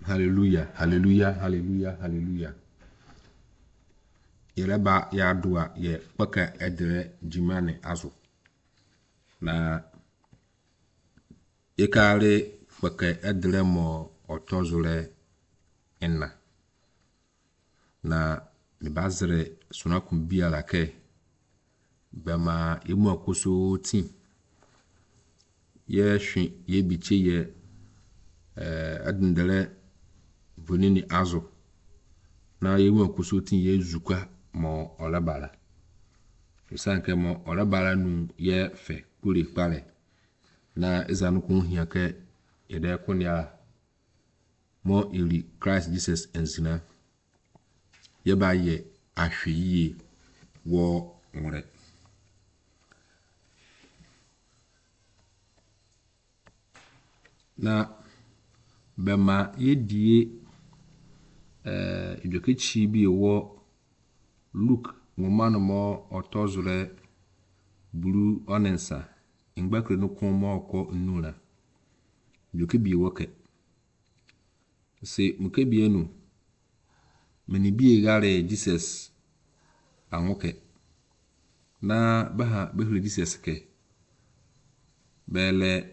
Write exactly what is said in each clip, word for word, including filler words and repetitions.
Hallelujah, hallelujah, hallelujah, hallelujah. Yɛrɛba yɛado a yɛ kpɛkɛ ɛdrɛ dwuma ne azo. Na yɛkaare kpɛkɛ ɛdrɛ mɔ ɔtɔzorɛ ɛna. Na mebazere sonakun biara kɛ bɛma emu akoso ti. Yɛhwe yɛbikye yɛ ɛɛ ɛdendɛrɛ vonini azo. Na yɛmu akoso ti yɛ zukwa mɔ ɔlɛbara. Esan kɛ mɔ ɔlɛbara nu yɛ fɛ kure kpalɛ. Na ezanu kun hia kɛ yɛdɛ konya mɔ iri Christ Jesus nzina. Yɛba yɛ ahwɛ yie wɔ nwere. Na bɛma yɛdie ɛɛ edwakekyi bi wɔ Luke nwoma no mɔ ɔtɔzorɛ buru ɔne nsa ngbakere no kun mɔ ɔkɔ nnura. Edwake bi wɔ kɛ. Se muke bie nu mene bi gare Jesus anwo kɛ. Na bɛha bɛhiri Jesus kɛ. Bɛlɛ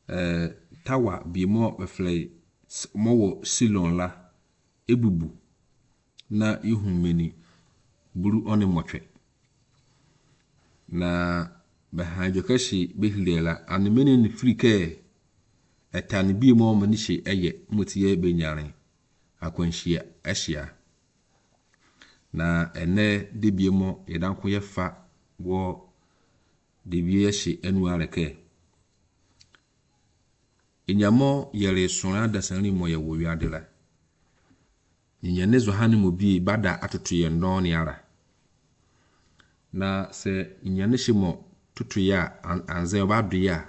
ɛɛ tawa bi mɔ bɛfrɛ mɔ wɔ Silon la ebubu na ihu meni buru ɔne mɔtwɛ. Na bɛha edwakɛhye bɛhiri la ane mene ne firi kɛ ɛta ne bi mɔ mene hye ɛyɛ moti yɛ benyare akwanhyia ahyia. Na ɛnɛ de bi mɔ yɛdanko yɛfa wɔ de bi yɛhye enu alɛkɛ. Enyamɔ yɛre sɔrɔ adasani mɔ yɛ wɔ wiade la. Nyane zohane mo bi bada atoto yɛn dɔn ne ara. Na sɛ nyane hye mɔ toto yɛ a anzɛ ɔba do yɛ a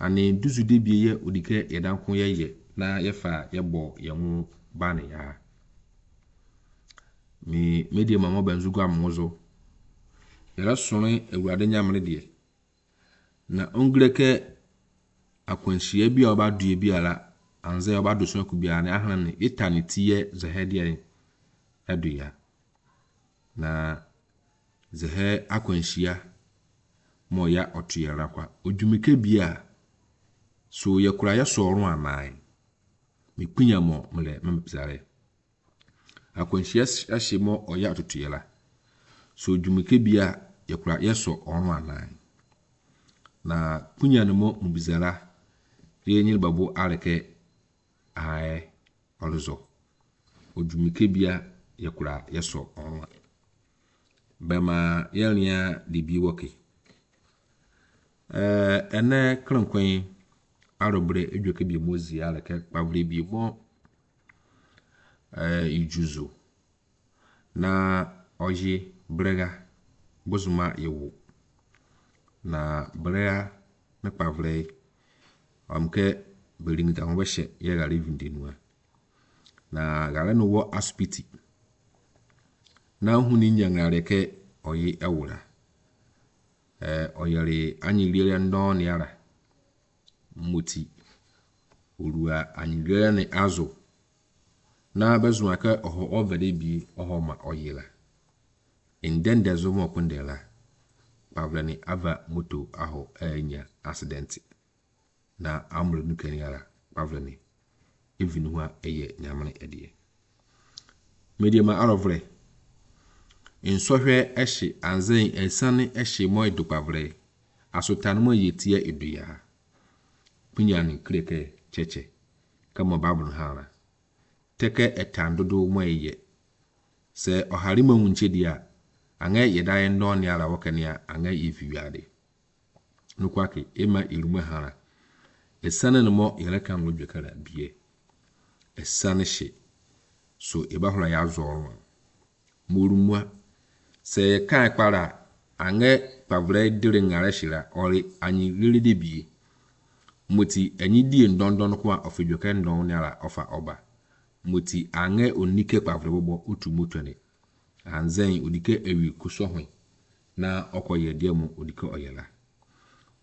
ane duzu de bi yɛ odike yɛdanko yɛyɛ na yɛfa yɛbɔ yɛn ho ba ne ya. Mi media ma mo bɛnzu gua mo zo. Yɛrɛ sɔrɔ Awurade nyamere deɛ. Na ongire kɛ akwanhyia bi a ɔba due bi ala anzɛ ɔba do so aku biara ne ahana ne eta ne ti yɛ zɛhɛ deɛ ɛdo ya. Na zɛhɛ akwanhyia ma ɔya ɔto yɛrɛ kwa. Odwumike bi a so yɛkura yɛ sɔrɔ anan. Mekpinya mɔ mlɛ mbizare. Akwanhyia ahye mɔ ɔya ɔtoto yɛla. So odwumike bi a yɛkura yɛ sɔ ɔno anan. Na kpinya no mɔ mbizara yɛ nyere babo alɛkɛ aɛ ɔlezɔ. Odwumike bi a yɛkura yɛ sɔ ɔno a. Bɛma yɛria de bi wɔke. Ɛɛ ɛnɛ krenkwen arɔbrɛ edwake bi mo zi alɛkɛ kpavre bi mɔ ɛɛ ijuzo na ɔye brɛga bozoma yewo. Na brɛga ne kpavre ɔmkɛ beringi ho bɛhyɛ yɛ gare vindenua. Na gare no wɔ asopiti. Na hu ni nyanare kɛ ɔye ɛwura. Ɛɛ ɔyɛre anyiriere ndɔn ne ara. Moti orua anyiriere ne azo. Na bɛzo aka ɔhɔ ɔvɛde bi ɔhɔ ma ɔyela. Ndende zo mo kundela. Kpavre ne ava moto ahɔ ɛnya accident. Na amre nu kani ara kpavre ne evini ho a ɛyɛ nyamene ɛdeɛ. Media ma arɔvre. Nsɔhwɛ ɛhye anzɛn ɛsane ɛhye mɔ edo kpavre. Asotane mo yɛ tia edo ya. Pinya ne kreke kyɛkyɛ. Kama Bible hara. Tɛkɛ ɛtan dodo mo ɛyɛ. Sɛ ɔhare ma nwunche deɛ a, aŋɛ yɛda yɛn dɔn ne ara wɔkɛ a aŋɛ yɛ fi wiade. Nukwake ema irumu hara. Ɛsane ne mɔ yɛrɛ kan wo dwekara bie. Ɛsane hye. So eba hora ya zɔrɔ. Morumua. Sɛ yɛ kan kpara aŋɛ kpavre dire ŋare hyira ɔre anyi rere de bie. Moti enyi die ndɔndɔn ko a ɔfɛ dwekɛ ndɔn ne ara ɔfa ɔba. Moti aŋɛ onike kpavre bɔbɔ otu moto ne. Anzɛn odike ewi kusɔ hwɛ na ɔkɔ yɛ deɛ mo odike ɔyɛla.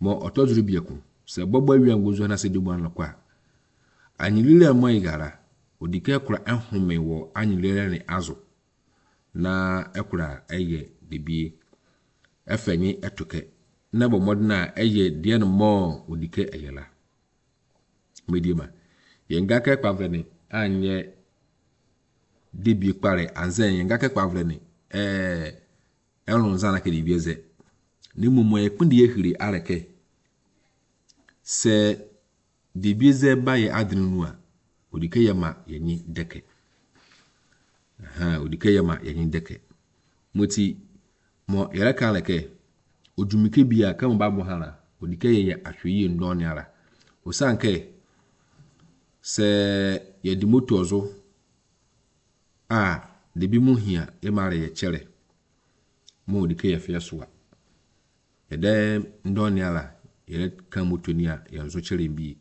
Mɔ ɔtɔzoro biako sɛ bɔbɔ awia ngozo na sɛ de mu anɔ kwa. Anyilile mo igara odike kora ehome wɔ anyilile ne azo na ekora eye debie efenye etoke na bɔ mmɔden a ɛyɛ deɛ no mɔ odike ɛyɛ la. Mediema yɛn ga kɛ kpavlɛ ne anyɛ debie kpare anze yɛn ga kɛ kpavlɛ ne ɛɛ ɛlò nzana kɛ debie zɛ. Ne mmom yɛ kpindi yɛ hiri alɛ kɛ sɛ debie zɛ ba yɛ adene nu a odike yɛ ma yɛnyi dɛkɛ. Ɛhɛn, odike yɛ ma yɛnyi dɛkɛ. Moti mo yɛrɛ kan lɛ kɛ odwumike bi a kɛ mo ba bɔ ha la odike yɛ yɛ ahwɛ yie ndɔɔne ara. Osan kɛ sɛ yɛde moto ɔzo a debi mu hia yɛ ma yɛ kyerɛ mo odike yɛ fɛ so a yɛdɛ ndɔɔne ara yɛrɛ kan moto ni a yɛn nso kyerɛ bi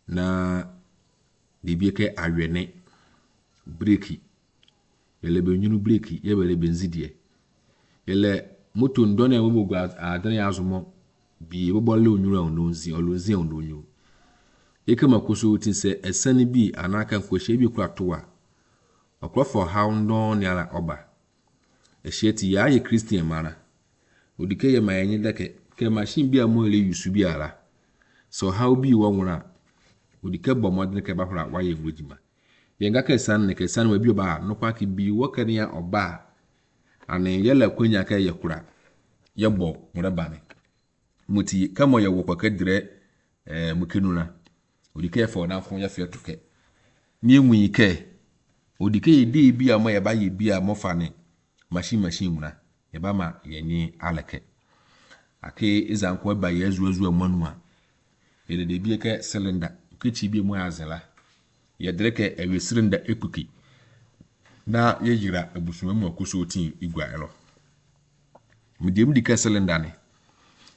na debi kɛ awɛne breki yɛlɛ bɛ nwunu breki yɛ bɛ lɛ bɛ nzi deɛ yɛlɛ moto ndɔɔne a wɔbɔ gu adene yɛ azomɔ bi bɔbɔ lɛ onyuru a ɔno nzi ɔlo nzi a ɔno onyuru ekema koso ti sɛ ɛsɛne bi anaa ka nkɔhyia bi kura to a ɔkorɔfo ɔhaw ndɔɔne ara ɔba ɛhyia ti yɛ ayɛ Christian mara odike yɛ ma yɛnye dɛkɛ kɛ machine bi a mo yɛlɛ yusu bi ara sɛ ɔhaw bi wɔ nwora a odike bɔ mmɔden kɛ bahora a wayɛ ngo adwuma yɛn ga kɛ san ne kɛ san ma bi ɔba a nokwa ke bi wɔ kɛ nea ɔba a ane yɛlɛ kwanya kɛ yɛ kora yɛbɔ nwora ba ne moti kɛ mo yɛ wɔ kɔ kɛ dirɛ ɛɛ mo kenu na odike yɛ fɛ ɔdanfo yɛ fɛ to kɛ ne enwu yi kɛ odike yɛ dee bi a mo yɛ ba yɛ bi a mo fa ne machine machine nwura yɛ ba ma yɛnye alɛkɛ ake ezanko ɛba yɛ ezu ezu ɛmɔnu a yɛde de bi kɛ cylinder kekyi bi mu azela yɛdere kɛ ɛwɛ cylinder ekuki na yɛyira abusua mu akoso tin igua ɛlɔ mede mu di kɛ cylinder ne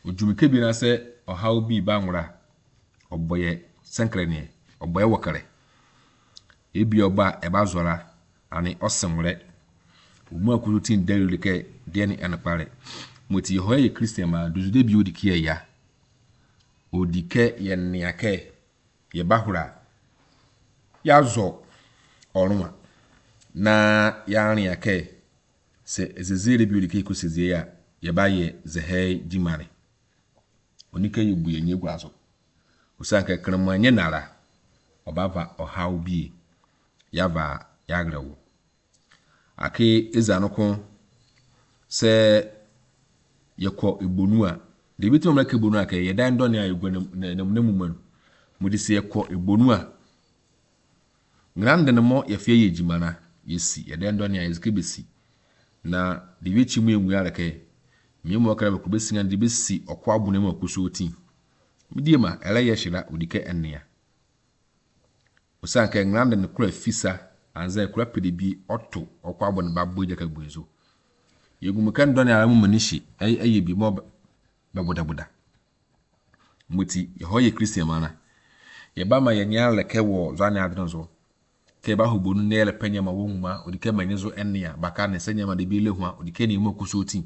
odwumike bi na sɛ ɔhaw bi ba nwora ɔbɔ yɛ sɛnkrɛ neɛ ɔbɔ yɛ wɔkɛrɛ ebi ɔba ɛba zɔra ane ɔsɛnwrɛ omu akoso tin dɛrɛ kɛ deɛ ne ɛnokpare moti hɔ yɛ Christian ma dozude bi odi kɛ ya odi kɛ yɛ nea kɛ yɛ bahora yazɔ ɔroma na yɛarea kɛ sɛ ezezere bi odi kɛ kɔsɛzie a yɛba yɛ zɛhɛ gyimare onika yɛ bu yɛ nye gua so osan kɛ kremo anyɛ nara ɔbava ɔhaw bi yava yagrɛwo ake eza no ko sɛ yɛkɔ ebonu a debi tí wɔn kɛ ebonu a kɛ yɛda ndɔne a egua nam nam nam mu no mo de sɛ yɛkɔ ebonu a ngrande no mo yɛfɛ yɛ gyima na yɛsi yɛda ndɔne a yɛsike besi na debi ekyi mu engu ara kɛ mmea mu ɔkra bɛkɔ besi nga de besi ɔkɔ abo na mu akoso ti medie ma ɛlɛ yɛ hyira odi kɛ ɛnea osan kɛ ngrande no kura fisa anza kura pede bi ɔto ɔkɔ abo no ba bɔ egya ka bu nso yɛgu mu kɛ ndɔne ara mu mani hye ɛyɛ bi mɔ bɛbodaboda moti yɛhɔ yɛ Christian mana yɛba ma yɛnyɛ alɛkɛ wɔ zane adene so kɛ yɛba hɔ bonu na yɛlɛ pɛ nyɛma wɔ nwuma odi kɛ manyɛ so ɛnea baka ne sɛ nyɛma de bi le ho a odi kɛ ne mu akoso ti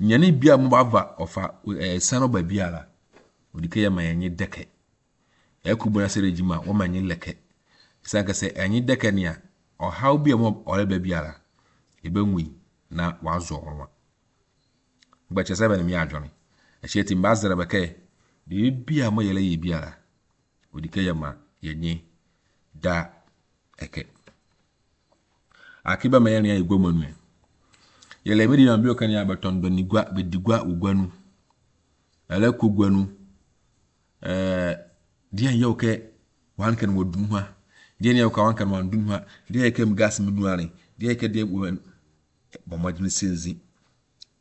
nyane bi a mo ba ɔfa ɛɛ san ɔba biara odi kɛ yɛ ma yɛnyɛ dɛkɛ ɛkɔ bu na sɛ regima wɔma nyɛ lɛkɛ san kɛ sɛ ɛnyɛ dɛkɛ nea ɔhaw bi a mo ɔreba biara ɛbɛnwi na wazɔ ɔroma gbɛkyɛ sɛ bɛne mi adwene ɛhyɛ ti mba zɛrɛ bɛkɛ deɛ bi a mo yɛlɛ yɛ biara odi kɛ yɛ ma yɛnye da ɛkɛ ake bɛ ma yɛn yɛ gua mu anu yɛlɛ mi di ma bi ɔka ne abɛtɔn dɔni gua bɛdi gua wɔ gua nu ɛlɛ kɔ gua nu ɛɛ deɛ yɛ kɛ wan kɛ no wɔ dun ha deɛ yɛ kɛ wan kɛ no wɔn dun ha deɛ yɛ kɛ mu gas mu nuare deɛ yɛ kɛ deɛ wɔ bɔ mmɔden sɛnzi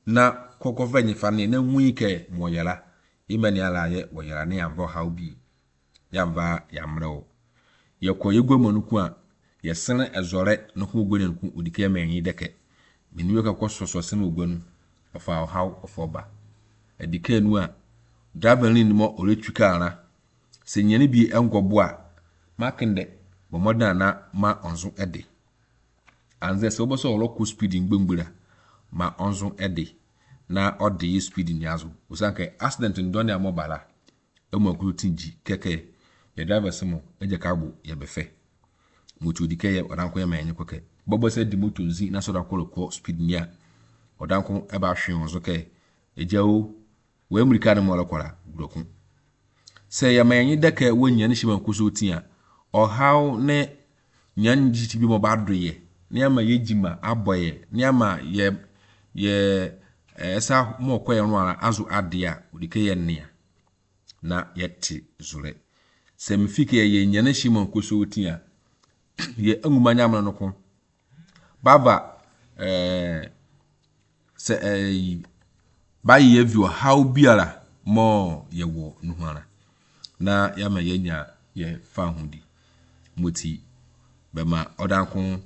na kɔkɔ fɛ nyifa ne na nwui kɛ mɔ yɛla ima ne ala yɛ wɔ yɛla ne yɛnfa ɔhaw bi yɛnfa yɛammerɛ wo yɛkɔ yɛgua mu no ko a yɛsene ɛzɔrɛ no ko gua no ko odi kɛ mɛnyi dɛkɛ menu yɛ kɔkɔ sɔsɔ sene ogua no ɔfa ɔhaw ɔfa ɔba ɛdi kɛ nu a driver ne ni mɔ ɔretwi kaa na sɛ nyane bi ɛnkɔbo a makende bɔ mmɔden a na ma ɔnso ɛde anzɛ sɛ wobɛsɛ ɔlɔkɔ speed ngbɛngbɛra ma ɔnso ɛde na ɔde yɛ speed ni aso osan kɛ accident ndɔne a mɔba la Ɛmu akoso ti gyi kɛkɛ yɛ driver sɛ mo ɛgya ka abo yɛ bɛfɛ. Moto di kɛ yɛ ɔdanko yɛ ma yɛnyɛ kɔkɛ. Bɔbɔ sɛ di moto nzi na sɛ ɔdanko rekɔ speed ni a ɔdanko ɛba ahwe wɔn so kɛ egya o wɔ emirika no mu ɔrekɔra gurɔko. Sɛ yɛma yɛnye dɛkɛ wɔ nyane hyɛ mu akoso ti a ɔhaw ne nyane gyikyi bi mo ba do yɛ ne ama yɛ gyima abɔ yɛ ne ama yɛ yɛ ɛsa mo ɔkɔ yɛn no ara azo ade a odi kɛ yɛ nea na yɛte zorɛ. Sɛ mefi kɛ yɛ nyane hyɛ mu akoso ti a yɛ anguma nyamene no ko baba ɛɛ sɛ ɛɛ bayɛ vi ɔhaw biara mɔ yɛwɔ no ho ara na yɛama yɛnya yɛ fa ho di moti bɛma ɔdanko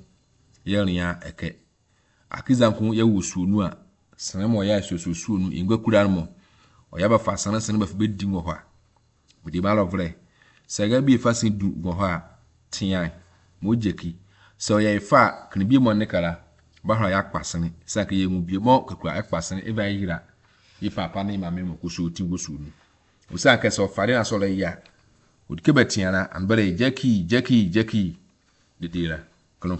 yɛrea ɛkɛ akizanko yɛwɔ suo a sene ma ɔyɛ asuosuo no ngua kura no mɔ ɔyɛ bɛfa sene sene bɛfa bɛdi wɔ hɔ a mede ma lɔvrɛ sɛ ɛga bi efa sen du wɔ hɔ a tea ma ogye ki sɛ ɔyɛ efa a kene bi mɔ ne kara bahora yɛ akpa sene sɛ aka yɛ ŋu bie mɔ kakura ɛkpa sene eva yira yi papa ne maame mɔ koso ti wɔ suo no osan kɛ sɛ ɔfare na sɔrɔ yi a odike bɛtea na anbɛrɛ jɛki jɛki jɛki dedera kene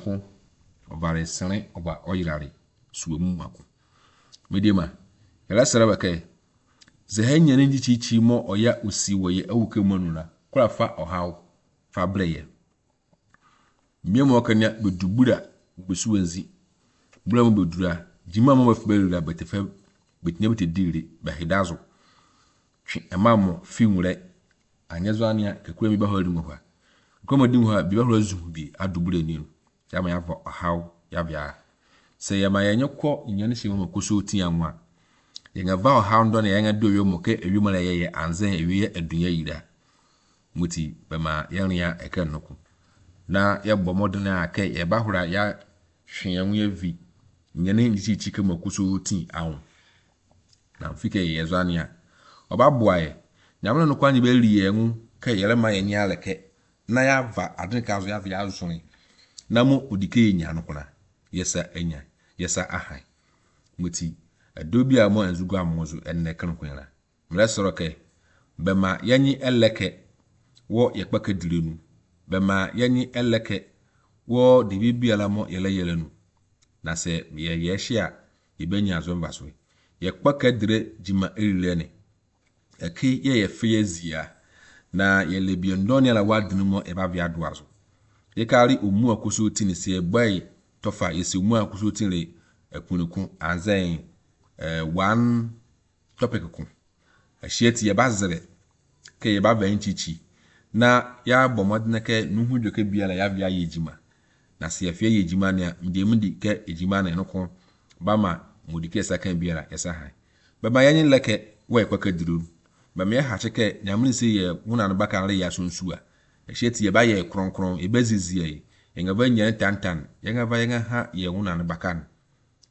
ɔvare sene ɔba ɔyirare suo mu mako medema yɛrɛ sɛrɛ bɛkɛ sɛ ha nyane nkyikyikyi mɔ ɔya osi wɔ yɛ awu kɛ mu la kora fa ɔhaw fa brɛ yɛ mmea mu ɔka nia bɛdu bura bɛsu wɔnzi bura mu bɛdura gyima mu bɛfɛ bɛrira bɛtɛfɛ bɛtinya bɛtɛdiire bɛhedazo twe ɛma mo fi nwurɛ anyɛ zo anea kakura mi bɛhɔ adi hɔ a kakura mu adi hɔ a bi bɛhɔ azu bi adu bura ni no yama yɛafa ɔhaw yabea sɛ yɛma yɛnyɛ kɔ nyane hyɛ mu koso ti anwa yɛn ava ɔhaw ndɔ na yɛn ado ewie mu kɛ ewie mu na yɛyɛ anzɛn ewie yɛ adunya yira muti bɛma yɛn ya ɛkɛ nnoko na yɛbɔ mmɔden a kɛ yɛba hora ya hwe yɛn ho yɛ vi nyane nkyikyi kɛ mu koso ti ahụ na mfi kɛ yɛyɛ zo anea ɔba boa yɛ nyame no kwan bɛri yɛn ho kɛ yɛrema yɛn nyɛ alɛkɛ na yɛava ade ka so yɛava yɛazɔn na mo odi kɛ yɛnya no kona yɛsa anya yɛsa ahan muti ɛdɔ bi a mo nzugu amo so ɛnnɛ kene kwan la mmerɛ sɔrɔ kɛ bɛma yɛnye ɛlɛkɛ wɔ yɛkpa kadire nu bɛma yɛnye ɛlɛkɛ wɔ de bibiara mo yɛlɛyɛlɛ nu na sɛ yɛyɛ hyɛ a yɛbɛnya azo mfa so yɛkpa kadire gyima erirɛ ne ɛke yɛyɛ fɛ yɛ zia na yɛlɛ bi ndɔne ala wadene mu ɛba via do azo yɛkari omu akoso ti ne sɛ ɛbɔe tɔfa yɛsɛ omu akoso ti ne ɛkunukun anzɛn ɛɛ one topic ko ɛhyɛ ti yɛba zerɛ kɛ yɛba vɛ nkyikyi na yɛabɔ mmɔden kɛ nuhu dweke biara yɛavia yɛ gyima na sɛ yɛfia yɛ gyima nea mdeɛ mu di kɛ egyima na ɛno ko bama modi kɛ yɛsa kan biara yɛsa han bɛma yɛnye lɛkɛ wɔ yɛ kɔkɛ duro bɛma yɛ hakye kɛ nyamene sɛ yɛ wona no baka re yɛ asonsu a ɛhyɛ ti yɛba yɛ kronkron yɛbɛzizi yɛ yɛn ava nyɛ ntantan yɛn ava yɛn ha yɛ wona no baka no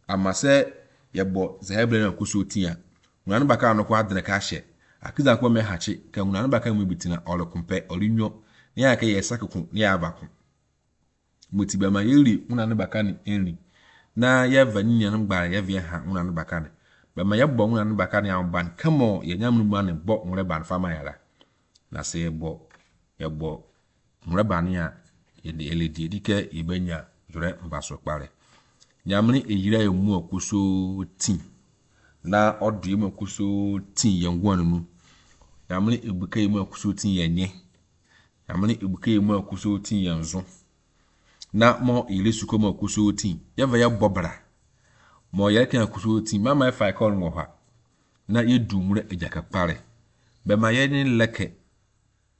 ama sɛ yɛbɔ zɛhɛbrɛ no akoso ti a wona no baka no ko adene ka hyɛ akiza kɔ mɛ hakye kɛ wona no baka mu bi tina ɔrekompɛ ɔrenwɔ ne yɛ kɛ yɛ sakeko ne yɛ abako moti bɛma yɛri wona no baka ne ɛnri na yɛva ne nuanom gbara yɛvɛ ha wona no baka ne bɛma yɛbɔ wona no baka ne ahoban kama yɛnyam no mu ane bɔ nwere ban fama yɛra na sɛ yɛbɔ yɛbɔ nwere ban a yɛde yɛlɛdi edi kɛ yɛbɛnya zɔrɛ mfaso kpare nyamene eyira yɛ mu akoso ti na ɔdo yɛ mu akoso ti yɛn guan no nyamene ebuka yɛ mu akoso ti yɛn nye nyamene ebuka yɛ mu akoso ti yɛn zo na mo yɛlɛ sukɔ mu akoso ti yɛva yɛ bɔ bra mo yɛrɛ kan akoso ti mama ɛfa ɛkɔ no wɔ hɔ a na yɛdu nwura agyaka kpare bɛma yɛne lɛkɛ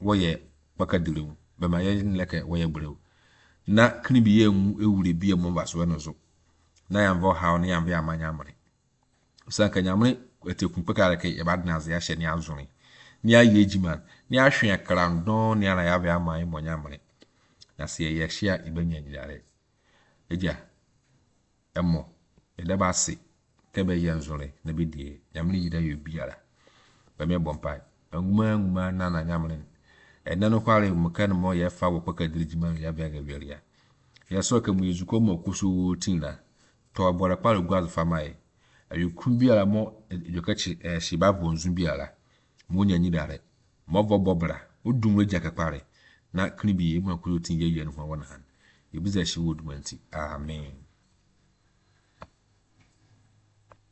wɔyɛ kpakadire mu bɛma yɛne lɛkɛ wɔyɛ brɛw na kini bi yɛ ngu ewure bi yɛ mo mfaso no so na yɛmfa ɔhaw ne yɛmfa yɛama nyamene sanka nyamene ɛtɛkun kpɛkare kɛ yɛba dena ase ahyɛ ne azone ne ayɛ adwuma ne ahwe akrandɔn ne ana yɛabɛ ama yɛ mɔ nyamene na sɛ yɛyɛ hyɛ a yɛbɛnya nyinare agya ɛmɔ yɛda ba ase kɛ bɛyɛ nzore na bɛdie nyamene yira yɛ biara bɛmɛ bɔ mpae anguma anguma na na nyamene ɛnɛ no kware mu ka no mɔ yɛfa wɔ kpɛkadiri dwuma no yɛabɛ agawiaria yɛsɔ kɛ mu yɛzukɔ mu akoso tin la tɔ bɔrɛ kpare gu azo fama yɛ ɛyɛku biara mɔ edwokɛkyi ɛhyɛ ba bɔ nzu biara mo nya nyinare Ma ɔvɔ bɔ bra, odum agya kɛkpare na kene bi emu akoyo tin yɛ yɛ no ho wɔ na han. Ebi sɛ ɛhyɛ wɔ duma nti. Amen.